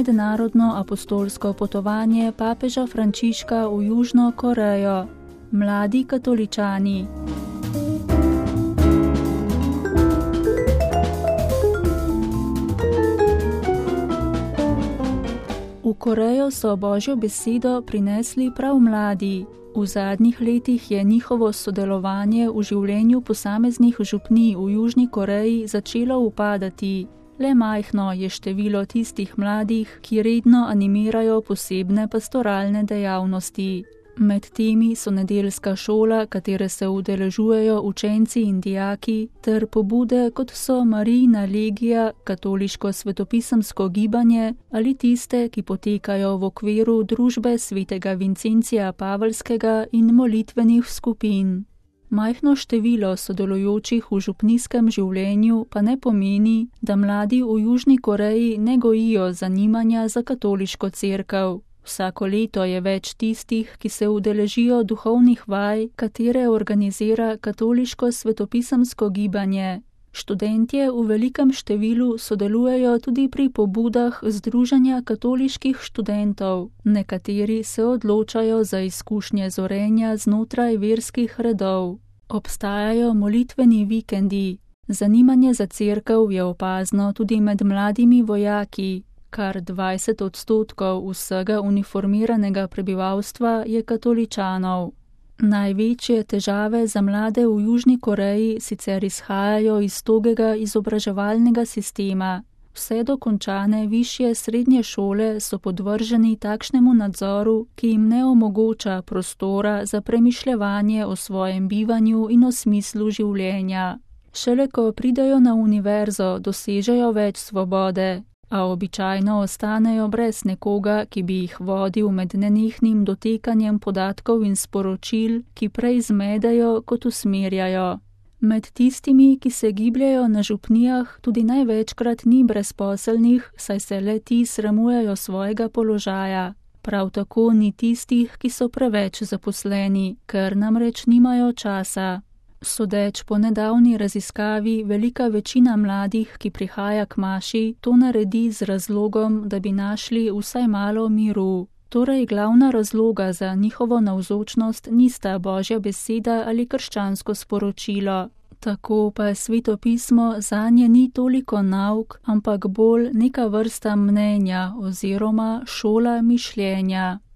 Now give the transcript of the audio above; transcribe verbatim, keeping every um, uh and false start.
mednarodno apostolsko potovanje papeža Frančiška v Južno Korejo. Mladi katoličani. V Korejo so Božjo besedo prinesli prav mladi. V zadnjih letih je njihovo sodelovanje v življenju posameznih župnij v Južni Koreji začelo upadati. Le majhno je število tistih mladih, ki redno animirajo posebne pastoralne dejavnosti. Med temi so nedeljska šola, katere se udeležujejo učenci in dijaki, ter pobude, kot so Marijina legija, katoliško svetopisemsko gibanje ali tiste, ki potekajo v okviru družbe svetega Vincencija Paveljskega in molitvenih skupin. Majhno število sodelujočih v župnijskem življenju pa ne pomeni, da mladi v Južni Koreji ne gojijo zanimanja za katoliško cerkev. Vsako leto je več tistih, ki se udeležijo duhovnih vaj, katere organizira katoliško svetopisemsko gibanje. Študentje v velikem številu sodelujejo tudi pri pobudah Združenja katoliških študentov. Nekateri se odločajo za izkušnje zorenja znotraj verskih redov. Obstajajo molitveni vikendi. Zanimanje za cerkev je opazno tudi med mladimi vojaki. Kar dvajset odstotkov vsega uniformiranega prebivalstva je katoličanov. Največje težave za mlade v Južni Koreji sicer izhajajo iz togega izobraževalnega sistema. Vse dokončane višje srednje šole so podvrženi takšnemu nadzoru, ki jim ne omogoča prostora za premišljevanje o svojem bivanju in o smislu življenja. Šele ko pridejo na univerzo, dosežejo več svobode, a običajno ostanejo brez nekoga, ki bi jih vodil med nenehnim dotekanjem podatkov in sporočil, ki prej zmedejo kot usmerjajo. Med tistimi, ki se gibljajo na župnijah, tudi največkrat ni brezposelnih, saj se le ti sramujejo svojega položaja. Prav tako ni tistih, ki so preveč zaposleni, ker namreč nimajo časa. Sodeč po nedavni raziskavi, velika večina mladih, ki prihaja k maši, to naredi z razlogom, da bi našli vsaj malo miru. Torej glavna razloga za njihovo navzočnost nista Božja beseda ali krščansko sporočilo. Tako pa Sveto pismo zanje ni toliko nauk, ampak bolj neka vrsta mnenja oziroma šola mišljenja.